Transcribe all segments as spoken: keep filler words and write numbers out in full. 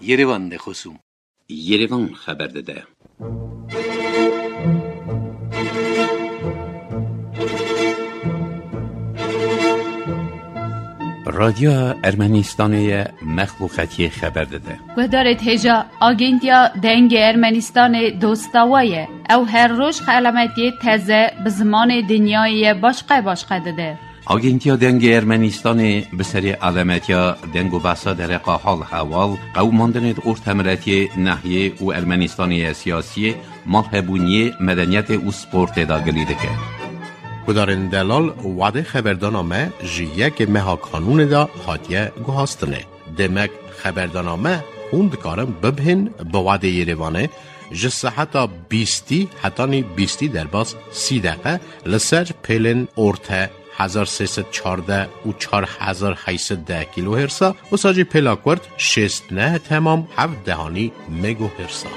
Yerevan de xosûm. Yerevan xeber dide. Radyoya Ermenistanê ye mexluqetiyê xeber dide. Guhdarêt hêja Agentiya Dengê Ermenistanê dosta we ye. Ew her roj xelametiyê teze bi zimanê dinyayê ye başqe başqe dide. Agentiya Dengê Ermenistanê bi serê alametiya deng û behsa dereqa hal heval, qewimandinê di ortemiletiyê, nehiyê û Ermenistanê ye siyasiyê, malhebûniyê, medeniyetê û sportê de gilî dike. Gudarên delal, wadê xeberdana me ji yekê meha kanûnê de hatiye guhastinê. Demek xeberdana me hûn dikarin bibhên bi wadê Yerevanê ji seheta bîstî hetanî bîstî derbas sî deqe li ser pêlên orte hezar sê sed çardeh û çar hezar heyt sed deh kilohersa, wisa jî pêla kurt şêst neh temam heft dehanî megohersa.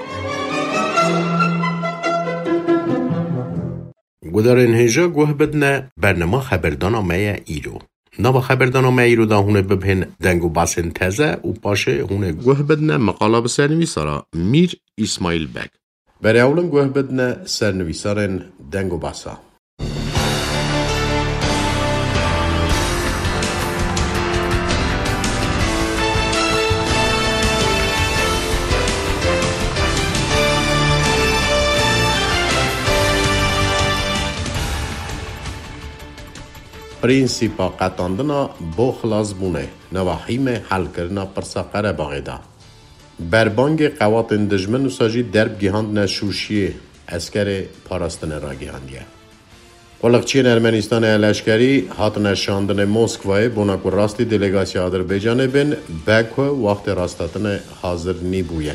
Gudarên hêja guh bidne, bernama xeberdana me ye îro. Nava xeberdana me îro de hûn ê bibhên deng û basên teze û paşê hûn ê guh bidne meqala bi sernivîsara Mîr Îsmaîl Beg. Berê ewlin guh bidne sernivîsarên deng û basa. Prînsîpa qetandina bo xilasbûnê, nava hîmê helkirina pirsa Qerebaxê de. Berbangê qewatên dijmin wisa jî derb gihandine Şûşiyê, eskerê parastinê ragihandiye. Quliqçiyên Ermenistanê ya leşkerî hatine şandinê Moskwayê, bona ku rastî delegasiya Adirbaycanê bên, be ku wextê rasthatinê hazir nîbûye.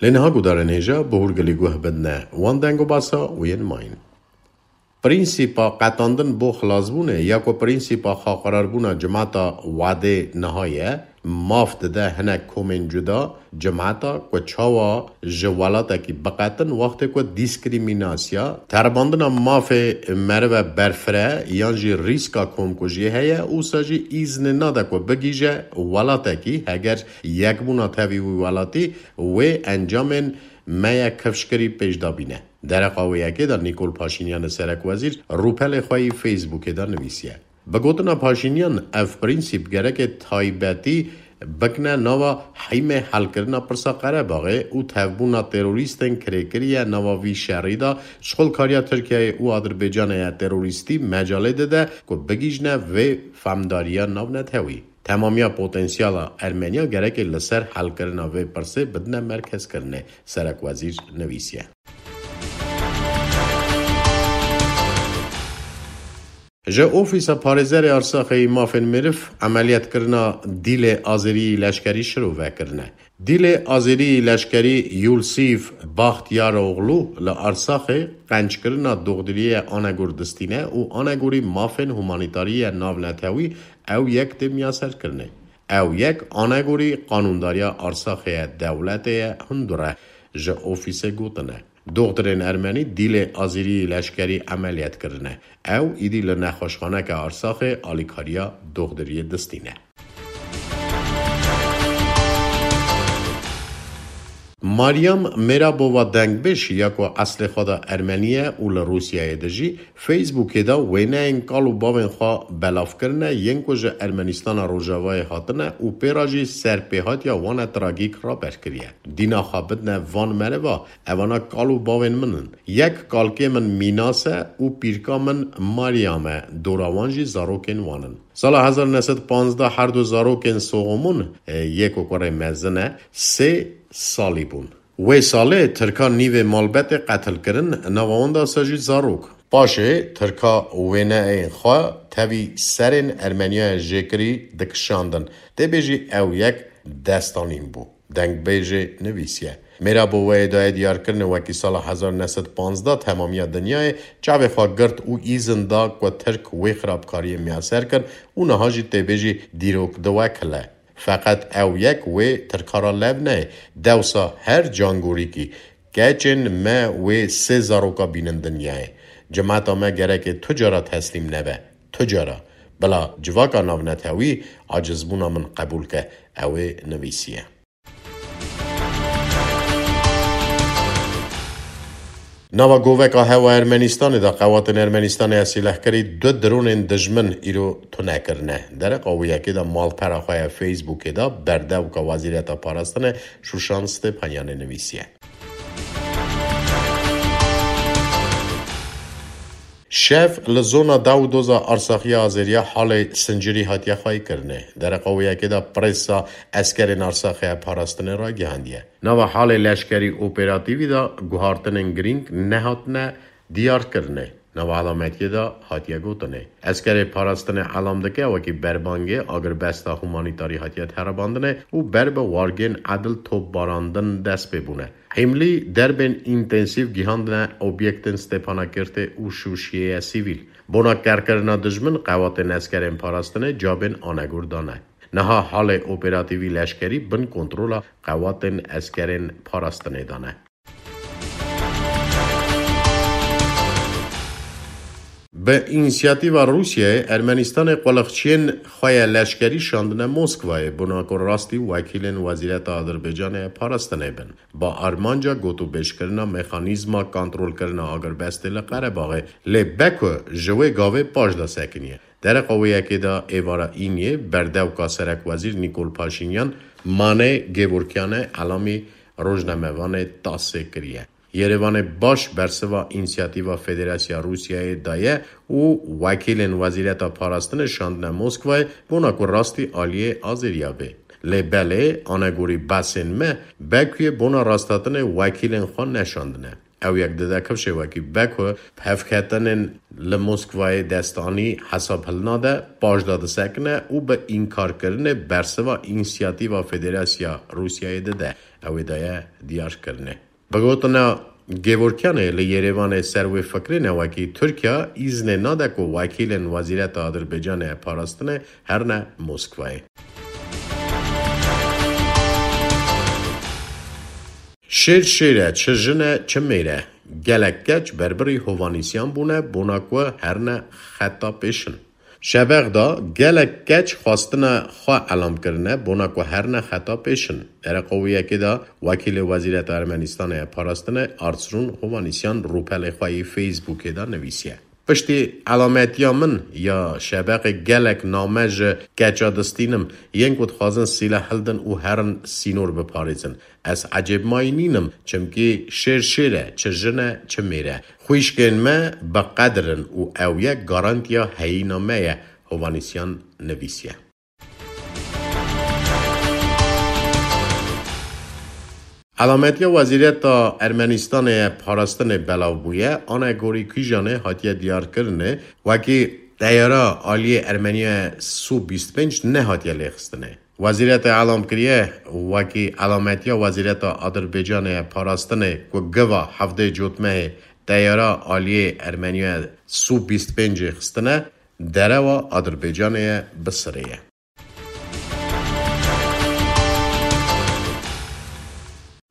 Lê niha gudarên hêja bi hûrgilî guh bidine wan deng û basa û yên mayîn. Prînsîpa qetandin bo xilasbûnê ya ku prînsîpa xaqirarbûna cimata wadê niha ye, maf dide hinek komên cuda cimata ku çawa ji welatekî biqetin wextê ku dîskrîmînasya, teribandina mafê merive berfireh yan jî rîska komkujiyê heye, wisa jî îznê nade ku bigihîje welatekî heger yekbûna tevî wî welatî wê encamên me ye kifşkirî pêş de bîne. Dereqa wê yekê de Nîkol Paşînyanê serekwezîr rûpelê xwe yî Facebookê de nivîsiye. Bi gotina Paşînyan, ev prînsîp gereke taybetî bikine nava hîmê helkirina pirsa Qerebaxê û tevbûna terorîstên kirêkirî ye nava vî şerî de, şixulkariya Tirkiyeyê û Adirbaycanê ye terorîstî mecalê dide ku bigihîjne vê femdariya navnetewî. Temamiya potensiyala Ermeniya gereke li ser helkirina vê pirsê bidine merkezkirinê, serekwezîr nivîsiye. Ji Ofîsa Parêzerê Arsaxê yî Mafên Meriv emeliyat kirina dîlê azêrî yî leşkerî şirove kirine. Dîlê azêrî yî leşkerî Yulsîf Baxtiyaroglu li Arsaxê qenckirina doxdiriyê Anegor distîne û Anegorî Mafên Humanîtarî ye Navnetewî ew yek tê miyaserkirinê. Ew yek Anegorî Qanûndariya Arsaxê ye dewletê ye hundir e, ji ofîsê gotine. Doxtirên ermenî dîlê azîrî leşkerî emeliyat kirine. Ew îdî li nexweşxaneke Arsaxê alîkariya doxdiriyê distîne. Maryam Merabova dengbêj ya ku eslê xwe de ermenî ye û li Rûsyayê dijî, Facebookê de wêneyên kal û bavên xwe belav kirine, yên ku ji Ermenîstana Rojavayê hatine û pê re jî serpêhatiya wan e tragîk raber kiriye. Dîna xwe bidine van meriva, evana kal û bavên min in. Yek kalkê min Mînas e û pîrka min Maryam e, dora wan jî zarokên wan in. Sala hezar neh sed panzdeh her du zarokên Soxomon, e, yê ku kurê mezin e, sê salî bûn. Wê salê Tirka nîvê malbetê qetil kirin, nava wan de sa jî zarok. Paşê Tirka wêneyên xwe tevî serên Ermeniyayê jêkirî dikişandin. Tê bêjî ew yek destanîn bû. Dengbêjê nivîsiye. Mêra Boveyê daye diyarkirinê wekî sala hezar neh sed panzdeh temamiya dinyayê çavê xwe girt û îzin da ku Tirk wê xirabkariyê miyaser kir û niha jî tê bêjî dîrok di we kile. Feqet ew yek wê Tirka re lev neyê. Dewsa her cangorîkî keçên me wê sê zaroka bînin dinyayê. Cemata me gereke tu cara teslîm nebe, tu cara. Bila civaka navnetewî acizbûna min qebûl ke, ew ê nivîsiye. Nava goveka hewa Ermenistanê de qewatên Ermenistanê ya sîlehkerî du dronên dijmin îro tune kirine. Dereqa wê yekê de malpera xwe ya Facebookê de berdewka Wezîreta Parastinê Şûşan Stepanyanê nivîsiye. Şev li zona Dawdoza Arsaxiya Azeriya halê sincirî hatiye xweyîkirinê. Dereqa wê yekê de presa eskerên Arsaxiya parastinê ragihandiye. Nava halê leşkerî operatîvî de guhartinên girîng nehatine diyarkirinê. Nava elametiyê de hatiye gotinê. Eskerê parastinê elam dike wekî berbangê agirbesta humanîtarî hatiye teribandinê û ber bi wargên edil topbarandin dest pê bûne. Hîmlî derbên întensîv gihandine obyektên Stepanakirtê û Şûşiyê ye sivîl. Bona kerkirina dijmin qewatên eskerên parastinê cabên anegor dane. Niha halê operatîvî leşkerî bin kontrola qewatên eskerên parastinê dane. Bi însiyatîva Rûsyayê, Ermenistanê quliqçiyên xwe ya leşkerî şandine Moskwayê, bona ku rastî wekîlên Wezîreta Adirbaycanê ya Parastinê bin. Bi armanca gotûbêjkirina mexanîzma kontrolkirina agirbestê li Qerebaxê, lê Beko ji wê gavê paş de sekiniye. Dereqa wê yekê de êvara Îniyê berdewka serekwezîr Nîkol Paşînyan Mane Gevorkyanê elamî rojnamevanê TASSê kiriye. Yerevanê baş bersiva însiyatîva Federasya Rûsyayê daye û wekîlên Wezîreta Parastinê şandine Moskwayê bona ku rastî aliyê Azeriya bê. Lê belê, anegorî behsên me, Bekuyê bona rasthatinê wekîlên xwe neşandine. Ew yek dide kifşê wekî Beko hevketinên li Moskwayê destanî hesab hilnade, paş de disekine û bi înkarkirinê bersiva însiyatîva Federasya Rûsyayê dide. Ew ê daye diyarkirinê. Bi gotina Gevorkyanê li Yerevanê ser wê fikrê ne wekî Tirkiye îznê nade ku wekîlên Wezîreta Adirbaycanê parastinê herine Moskwayê. Şêr şêr e, çi jin e, çi mêr e. Gelek keç berbirî hovanîsiyan bûne, bona ku herine xeta pêşin. Şebex de gelek keç xwestine xwe elam kirine, bona ku herine xeta pêşin. Dereqa wê yekê de wekîlê Wezîreta Ermenistanê ya Parastinê Artsrûn Hovanîsyan rûpelê xwe yê Facebookê de nivîsiye. Piştî elametiya min ya Şebexê gelek name ji keça distînim, yên ku dixwazin sîleh hildin û herin sînor biparêzin. Ez ecêbmayî nînim, çimkî şêr şêr e, çi jin e, çi mêr e. Xwîşkên me bi qedir in û ew yek garantiya heyîna me ye, Hovanîsyan nivîsiye. Elametiya Wezîreta Ermenistanê ya Parastinê belav bûye, anegorî kîjanê hatiye diyarkirinê, wekî teyara aliyê Ermeniya Su bîst pênc nehatiye lêxistinê. Wezîreta elam kiriye, wekî elametiya Wezîreta Adirbaycanê ya Parastinê ku giva hevdê Cotmehê teyara aliyê Ermeniya Su bîst pêncê xistine, derewa Adirbaycanê ye bi sirê ye.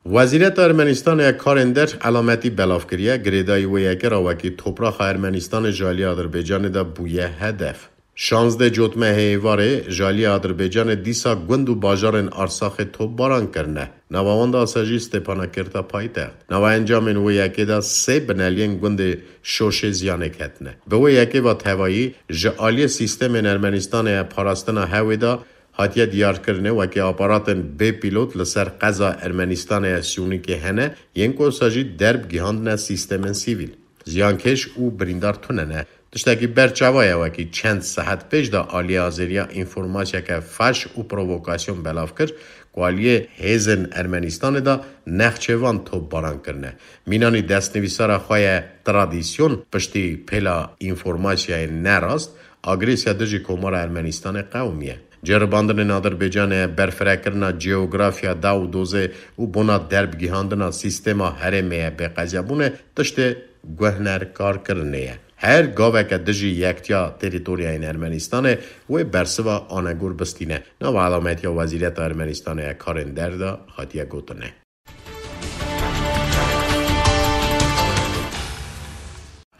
Wezîreta Ermenistanê ya karên der elametî belav kiriye, girêdayî wê yekê re wekî topraxa Ermenistanê ji alî Adirbaycanê de bûye hedef. Şazdeh Cotmehê êvarê ji alî Adirbaycanê dîsa gund û bajarên Arsaxê topbaran kirine. Nava wan de asa jî Stepanakert a paytext. Nava encamên wê yekê de sê bineliyên gundê Şoşê ziyanek ketine. Bi wê yekê ve tevayî ji aliyê sîstemên Ermenistanê ya parastina hewê de hatiye diyarkirinê wekî aparatên bê pîlot li ser qeza Ermenistanê ya Siyûnîkê hene, yên ku wisa jî derb gihandine sîstemên sîvîl. Ziyankêş û birîndar tune ne. Tiştekî berçava ye wekî çend saet pêş de aliyê Azeriya înformasyeke faş û provokasyon belav kir ku aliyê hêzên Ermenistanê de nexçêvan topbaran kirine. Mînanî destnivîsara xwe ye Tradisyon piştî pêla înformasyayên nerast, agresiya dijî Komara Ermenistanê qewimiye. Ceribandinên Adirbaycanê berfirekirina ceografya daw û dozê û bona derbgihandina sîstema herêmê ye bêqezebûnê tiştê guhnerkarkirinê ye. Her gaveke dijî yektiya terîtoryayên Ermenistanê wê bersiva anegor bistîne. Nava elametiya Wezîreta Ermenistanê ya Karên Der de hatiye gotinê.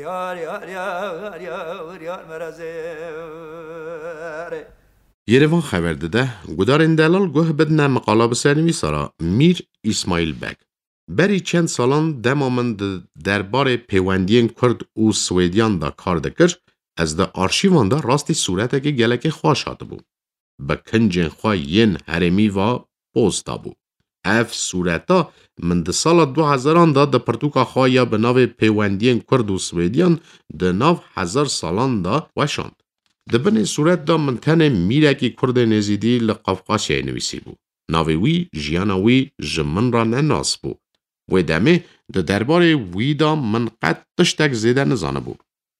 Yar, yar, yar, yar, yar, yar, merazê. Yerevan xeber dide, gudarên delal guh bidine miqala bi sernivîsa re Mîr Îsmaîl Beg. Berî çend salan dema min di derbarê pêwendiyên Kurd û Swêdiyan de kar dikir, ez di arşîvan de rastî sûretekê gelekê xweş hatibû. Bi kincên xwe yên herêmî ve poz dabû. Ev sûreta min di sala du hezaran de di pirtûka xwe ya bi navê Pêwendiyên Kurd û Swêdiyan di nav hezar salan de weşand. Di binê sûret de min tenê mîrekî Kurdên Êzîdî li Qafqasyayê nivîsîbû. Navê wî, jiyana wî ji min re ne nas bû. Wê demê di derbarê wî de min qet tiştek zêde nizanibû.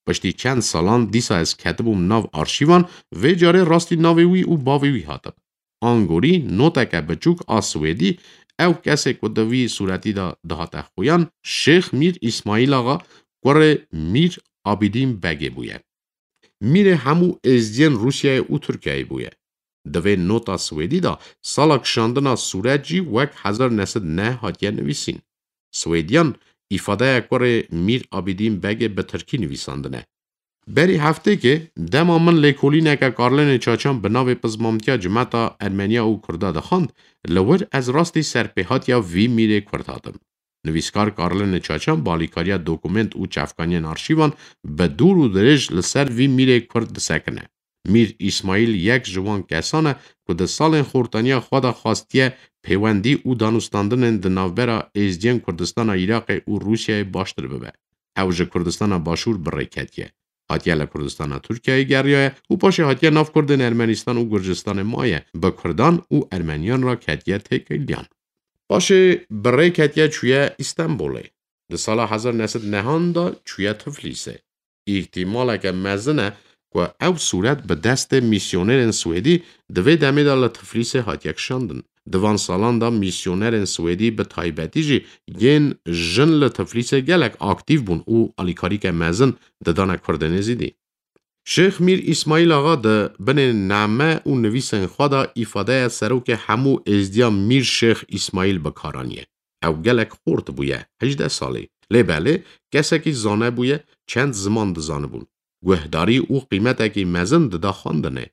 Piştî çend salan dîsa ez ketibûm nav arşîvan, vê carê rastî navê wî û bavê wî hatim. Angorî noteke biçûk a Swêdî, ew kesê ku di vî sûretî de dihate xuyan, Şêx Mîr Îsmaîl Axa, kurê Mîr Abîdîn Begê bûye. Mîrê hemû êzdiyên Rûsyayê û Tirkiyeyê bûye. Di vê nota Swêdî de sala kişandina sûret jî wek hezar neh sed neh hatiye nivîsîn. Swêdiyan îfadeya kurê Mîr Abîdîn Begê bi tirkî nivîsandine. Berî heftêkê dema min lêkolîneke Karlinê Çaçan bi navê Pizmamtiya Cimeta Ermeniya û Kurda dixwend, li wir ez rastî serpêhatiya vî mîrê Kurd hatim. Nivîskar Karlinê Çaçan balîkariya dokument û çavkaniyên arşîvan bi dûr û dirêj li ser vî mîrê Kurd disekine. Mîr Îsmaîl yek ji wan kesan e ku di salên xortaniya xwe de xwestiye pêwendî û danûstandinên di navbera Êzdiyên Kurdistana Iraqê û Rûsyayê baştir bibe. Ew ji Kurdistana Başûr bi rê ketiye. Hatiye li Kurdistana Tirkiyeyê geriyaye û paşê hatiye nav Kurdên Ermenistan û Gurcistanê maye, bi Kurdan û Ermeniyan re ketiye têkiliyan. Paşê bi rê ketiye çûye Îstenbolê. Di sala hezar neh sed nehan de çûye Tiflîsê. Îhtimaleke mezin e ku ew sûret bi destê mîsyonerên Swêdî di vê demê de li Tiflîsê hatiye kişandin. Di van salan de mîsyonerên Swêdî, bi taybetî jî yên jin, li Tiflîsê gelek aktîf bûn û alîkarîke mezin didane Kurdên Êzidî. Şêx Mîr Îsmaîl Axa di binê name û nivîsên xwe de îfadeya serokê hemû Êzdiya Mîr Şêx Îsmaîl bi kar aniye. Ew gelek xort bûye, hejdeh salî. Lê belê kesekî zane bûye, çend ziman dizanibûn. Guhdarî û qîmetekî mezin dida xwendinê.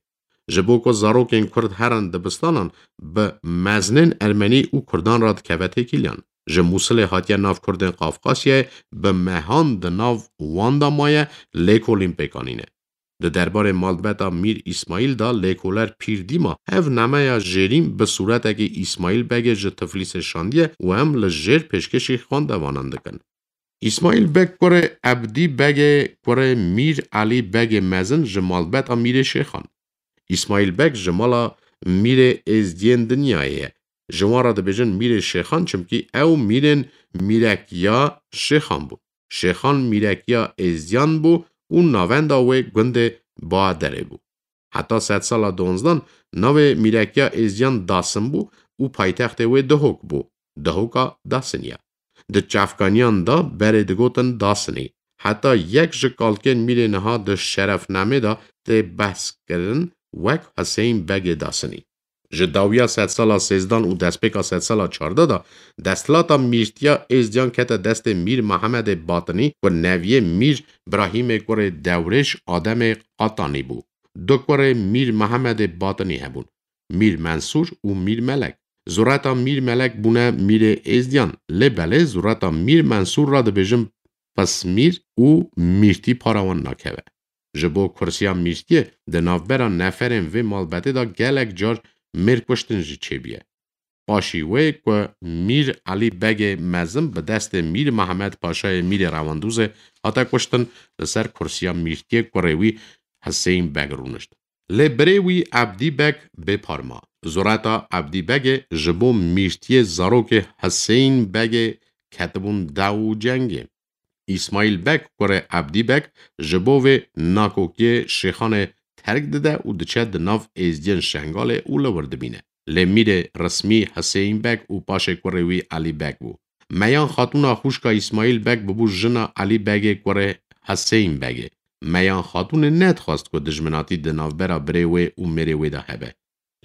Ji bo ku zarokên Kurd herin dibistanan, bi mezinên Ermenî û Kurdan re dikeve têkiliyan. Ji Mûsilê hatiye nav Kurdên Qafqasyayê, bi mehan di nav wan de maye, lêkolîn pêk anîne. Di derbarê malbeta Mîr Îsmaîl de lêkoler pîr dîma ev nameya jêrîn bi sûretekî Îsmaîl Begê ji Tiflîsê şandiye û em li jêr pêşkêşî xwendevanan dikin. Îsmaîl Beg kurê Ebdî Begê kurê Mîr Elî Begê mezin ji malbeta Mîrê Şêxan. Îsmaîl Beg ji mala Mîrê Êzdiyên Dinyayê ye. Ji wan re dibêjin Mîrê Şêxan, çimkî ew mîrên mîrekiya Şêxan bûn. Şêxan mîrekiya Êzdiyan bû û navenda wê gundê Baderê bû. Heta sedsala duwanzdan navê mîrekiya Êzdiyan Dasin bû û paytextê wê Dihok bû, Dihoka Dasinî ya. Di çavkaniyan de berê digotin Dasinî. Heta yek ji kalkên mîrê niha di şerefnamê de tê behs kirin wek Huseyîn Begê Dasinî. Ji dawiya sedsala sêzdan û destpêka sedsala çardeh de desthilata mîrtiya Êzdiyan kete destê Mîr Mehemedê Batinî ku neviyê Mîr Birahîmê kurê Dewrêş Ademê Qatanî bû. Du kurê Mîr Mehemedê Batinî hebûn, Mîr Mensûr û Mîr Melek. Zureta Mîr Melek bûne mîrê Êzdiyan, lê belê zureta Mîr Mensûr re dibêjin pismîr û mîrtî para wan nakeve. Ji bo kursiya mîrtiyê di navbera neferên vê malbetê de gelek car mêr kuştin jî çêbûye. Paşî wê ku Mîr Elî Begê Mezin bi destê Mîr Mehmed Paşayê Mîrê Rewandûzê hate kuştin, li ser kursiya mîrtiyê kurê wî Huseyîn Beg rûnişt. Lê birê wî Ebdî Beg bê par ma. Zureta Ebdî Begê ji bo mîrtiyê zarokê Huseyîn Begê ketibûn dew û cengê. Îsmaîl Beg kurê Ebdî Beg ji bo vê nakokiyê Şêxanê terk dide û diçe di nav êzdiyên Şengalê û li wir dimîne. Lê mîrê resmî Huseyîn Beg û paşê kurê wî Elî Beg bû. Meyan Xatûna xwişka Îsmaîl Beg bibû jina Elî Begê kurê Huseyîn Begê. Meyan Xatûnê nedixwest ku dijminatî di navbera birê wê û mêrê wê de hebe.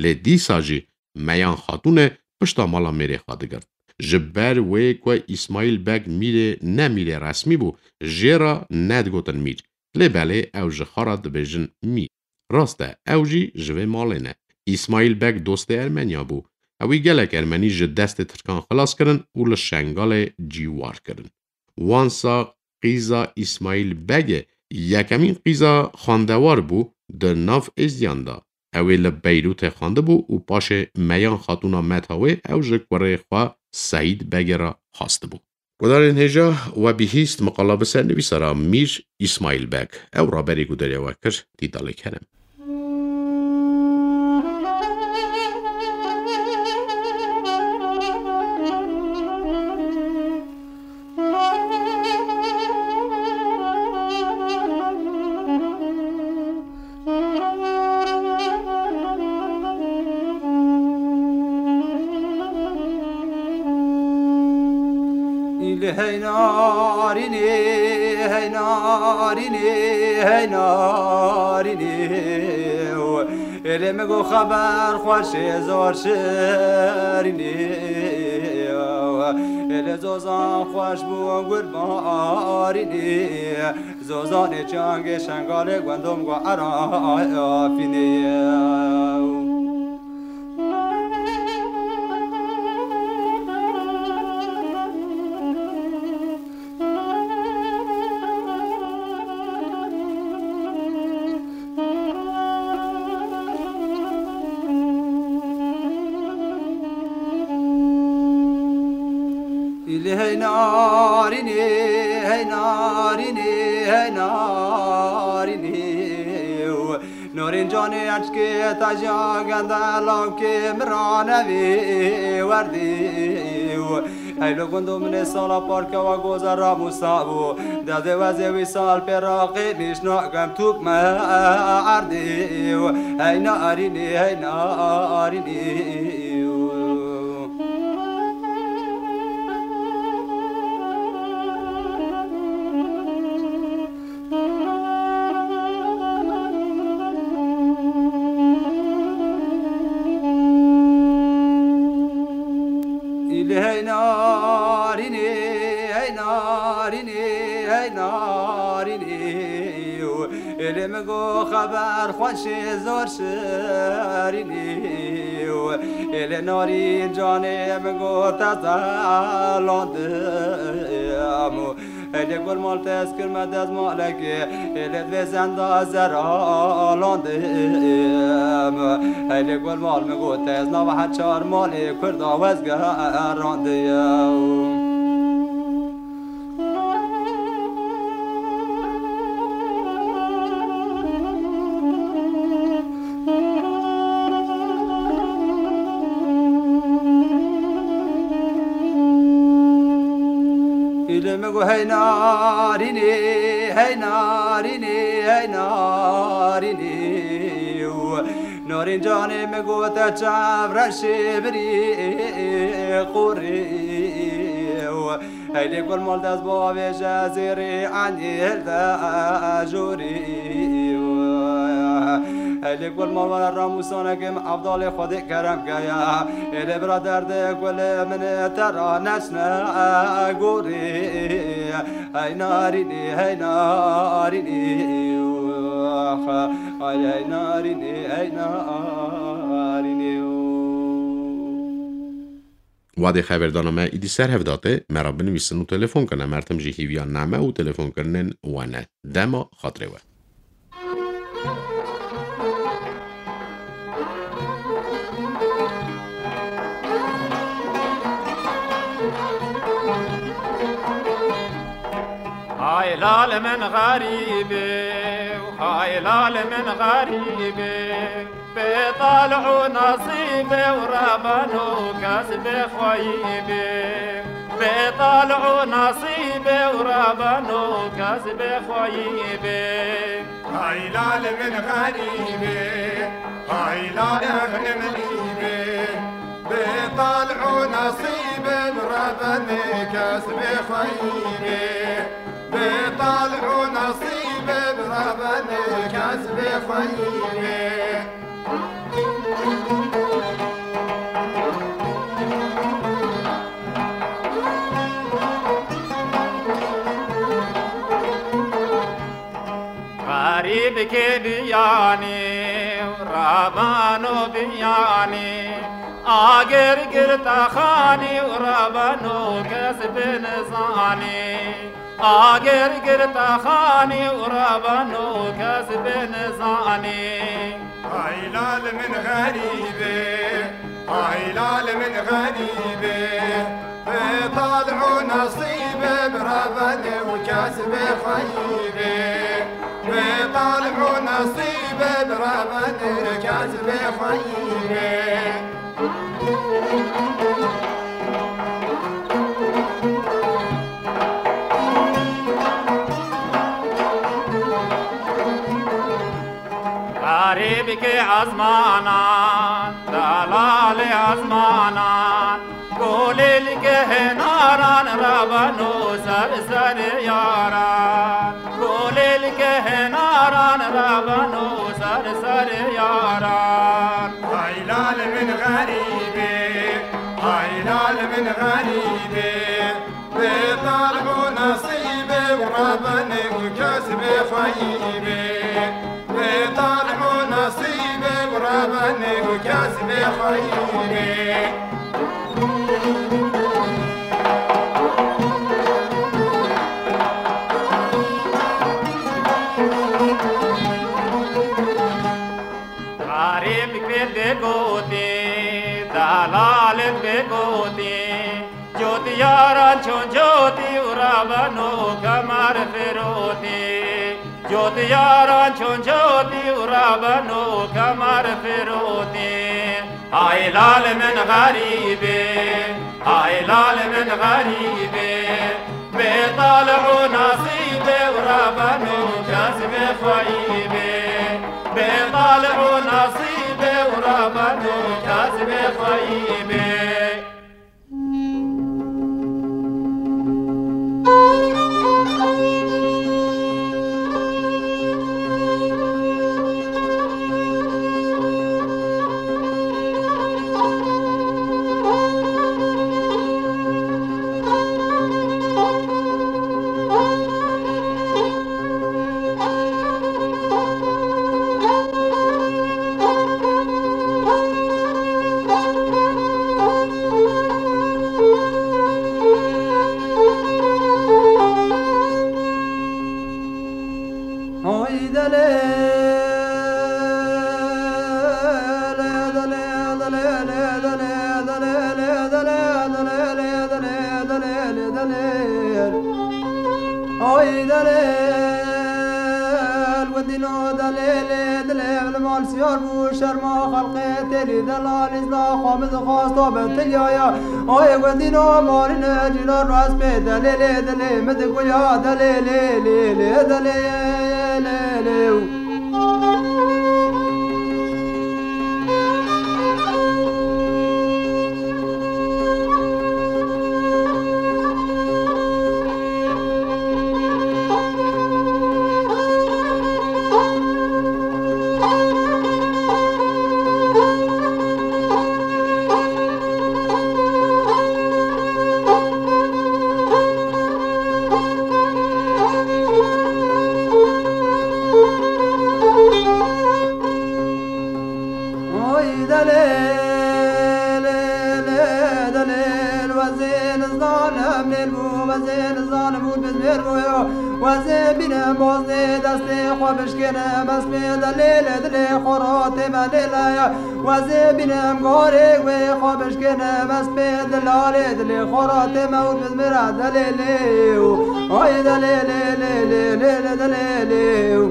Lê dîsa jî Meyan Xatûnê pişta mala mêrê xwe digirt. Ji ber wê ku Îsmaîl Beg mîrê ne mîrê resmî bû, jê re nedigotin mîr. Lê belê ew ji xwe re dibêjin mîr. Rast e, ew jî ji vê malê ne. Îsmaîl Beg dostê Ermeniya bû. Ewî gelek Ermenî ji destê Tirkan xilas kirin û li Şengalê cîwar kirin. Wansa qîza Îsmaîl Begê yekemîn qîza xwendewar bû di nav êzdiyan de. Ew ê li Beyrûtê xwendibû û paşê Meyan Xatûna meta wê ew ji kurê xwe Seîd Begê re xwestibû. Gudarên hêja, we bihîst miqala bi sernivîsara Mîr Îsmaîl Beg. Ew raberî gudarê we kir, Dîtalê Kerem. Îlê hey narînê, hey narînê, hey narînê. Êlê min got xeber xweş ê zor şirînê. Êlê zozan xweş bû gurbarînê. Zozanê çangê Şengalê wendom go erafînê. Hey narînî, hey narînî, hey narînî. Norîn canê eşkê te jî agende lawkê min ranevî werdî. Hey lo gundo min ê sala parkewa goza Ramûsa bû. Dezê wezê wî sal pê raqî nîşna gem tûk me erdî. Hey narînî, hey narînî. Îlê hey narînê, hey narînê, hey narînê. Êlê min got xeber xweşê zor şirînî. Êlê narîn canê min got ez zelandim. Êlê gul mal te ez kirme dezmalekê. Êlê divê zenda zeralandim. Êlê gul mal min got ez nava her çar malê kurda wezgerandiye. Îlê min got hey narînê, hey narînê, hey narînê. Narîn canê min got te çav reşê birî qorê. Heylê gul mal dest bavêje zêrê endî hilde jorî. Heylê gul mal were ramûsanekê min evdalê Xwedê kerem keye. Êlê bira derdê gulê min te ra neçne gorî. Hey narînî, hey narînî. Ay, hey narînî, hey narînî. Wadê xevêrdana me îdî ser hev date, me re binivîsin û telefon kine. Mertim jî hîviya name û telefonkirinên we ne. Dema xatirê we. Hay lal min xerîbê, hay lal min xerîbê. Bê talih û nasîbê û rebeno kes bê xweyî bê. Bê talih û nasîbê û rebeno kes bê xweyî bê. Hay lal min xerîbê, hay lal min xerîbê. Bê talih û nasîbê bi rebenê kes bê xweyî bê. Bê talih û nasîbê bi rebenê kes bê xweyî bê. Xerîbkê biyanî û rebeno biyanî, agir girte xanî û rebeno kes bê nizanî. Agir girte xanî û rebeno kes bê nizanî. Hay lal min xerîbê, hay lal min xerîbê. Bê talih û nasîbê bi rebenê û kes bê xweyî bê. Bê talih û nasîbê bi rebenê kes bê xweyî bê. Xerîbkê ezmanan, delalê ezmanan, kulîlkê hênaran rebeno ser serê yaran. Kulîlkê hênaran rebeno ser serê yaran. Hay lal min xerîbê, hay lal min xerîbê. Bê talih û nasîbê û rebenê û kes bê xweyî bê. Bê talih û nasîbê û rebenê û kes bê xweyî bê. Xerîb pê bêgotî, delalê bêgotî, cotî Yaran çûn cotî û rabeno kemer firotî. Cotî yaran çûn cotî û rabeno kemer firotî. Hay lal min xerîbê, hay lal min xerîbê. Bê talih û nasîbê û rabeno kes bê xweyîbê. Bê talih û nasîbê û rabeno kes bê xweyîbê. Ay delêl, wendîno delêlê, dilê min mal siyar bû, şerma xelqê têlî delal, îzna xwe min dixwast, to be tilyaya. Ay wendîno malîne cîna rast pê delêlê, dilê min diguya delêlê, lê, lê, delê, lê, lê. Oy delê, lê, lê, delê, wezê nizanim nêr bû, wezê nizanim û bizmêr bû yo. Wezê bîne boznê destê xwe bişkêne, mespê delê, lê, dilê xwe ro tême lê laya. Wezê bîne em gorê wê xwe bişkêne, mespê dilalê dilê xwe ro tême û bizmêra delê, lê, û. Ay delê, lê, lê, lê, lê, lê, delê, lê, û.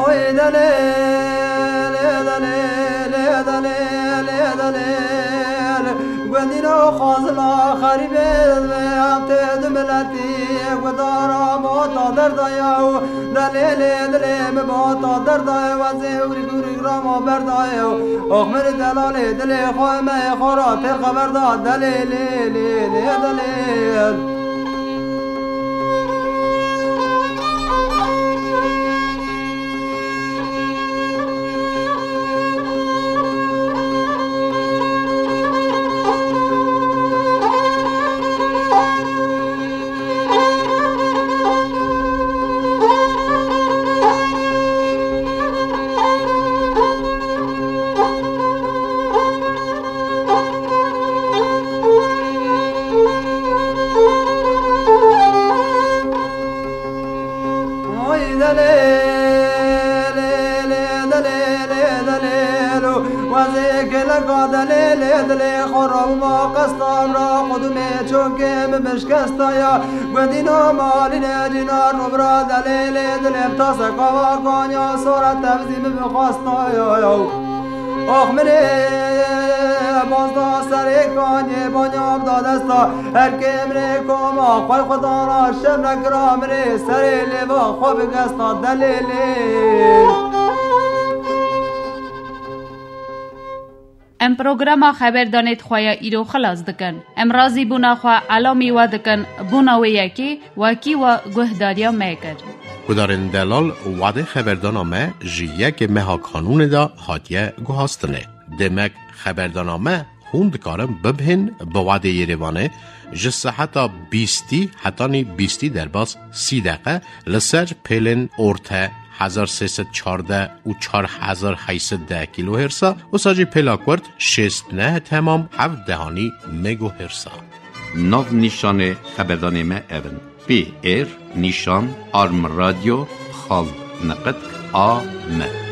Oy delê, lê delê, lê delê, lê delê. Gundîno xazila xerîbê ve tê du miletî gudara bota derdaya û delê lê dilê mi bota derdaya, wezê ûrik ûrik rama berdaya. Ox min delalê dilê xwe me xora têr xeber da delê lê, lê, lê delê. Oy delê, lê, lê, delê, lê, delê, lo. Wezê geleka delê, lê, dilê xwe rawma qesta ra qudumê çokê min bişkesta ya. Gundîno malîne cîna nobra delê, lê, dilê taseka kanya sora tevzî min bixwesta ya, ya. Ox min ê, bazda serê kanê banyam da desta. Her kê min ê koma xwe xwe dana şem re kira min ê serê lêva xwe bigesta delê lê. Em programa xeberdanê di xwe ya îro xilas dikin. Em razîbûna xwe elamî we dikin, bûna wê yekê wekî we guhdariya me kir. Gudarên delal, wadê xeberdana me ji yekê meha Kanûnê de hatiye guhastinê. Demek xeberdana me Hûn dikarin bibihên bi wadê Yerêvanê ji seheta bîstî hetanî bîstî derbas sî deqe li ser pêlên orte hezar sê sed çardeh û çar hezar heyt sed deh kîlohêrsa, wisa jî pêla kurt şêst neh temam heft dehanî megohêrsa. Nav nîşanê xeberdanê me ev in: P R nîşan arm radyo xal neqet A M.